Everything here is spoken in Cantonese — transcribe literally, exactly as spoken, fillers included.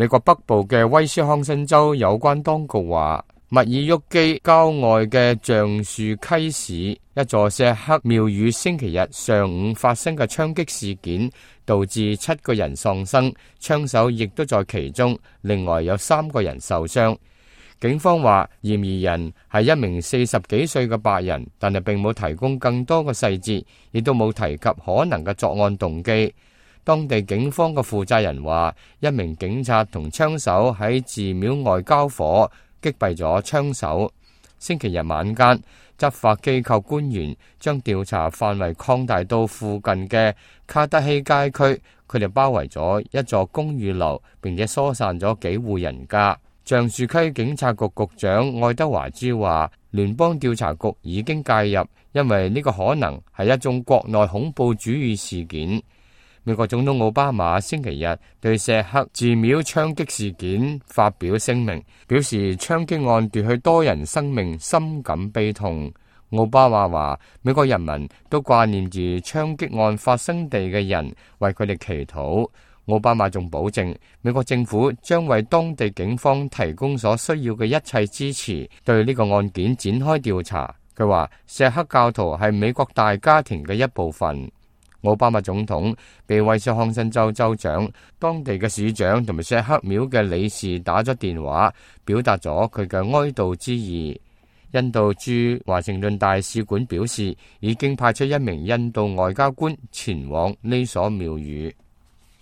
美國北部嘅威斯康辛州有關當局話，密爾沃基郊外嘅橡樹溪市一座錫克廟宇星期日上午發生嘅槍擊事件，導致七個人喪生，槍手亦都在其中，另外有三個人受傷。警方話嫌疑人係一名四十幾歲嘅白人，但係並冇提供更多嘅細節，亦都冇提及可能嘅作案動機。當地警方嘅負責人話，一名警察同槍手喺寺廟外交火，擊斃咗槍手。星期日晚間，執法機構官員將調查範圍擴大到附近嘅卡德希街區，佢哋包圍咗一座公寓樓，並且疏散咗幾戶人家。橡樹溪警察局局長愛德華茲話，聯邦調查局已經介入，因為呢個可能係一宗國內恐怖主義事件。美國總統奧巴馬星期日對錫克寺廟槍擊事件發表聲明，表示槍擊案奪去多人生命，深感悲痛。奧巴馬話，美國人民都掛念住槍擊案發生地嘅人，為佢哋祈禱。奧巴馬仲保證，美國政府將為當地警方提供所需要嘅一切支持，對呢個案件展開調查。佢話，錫克教徒係美國大家庭嘅一部分。奧巴馬總統被威斯康辛州州長、當地嘅市長同埋錫克廟嘅理事打咗電話，表達咗佢嘅哀悼之意。印度駐華盛頓大使館表示，已經派出一名印度外交官前往呢所廟宇。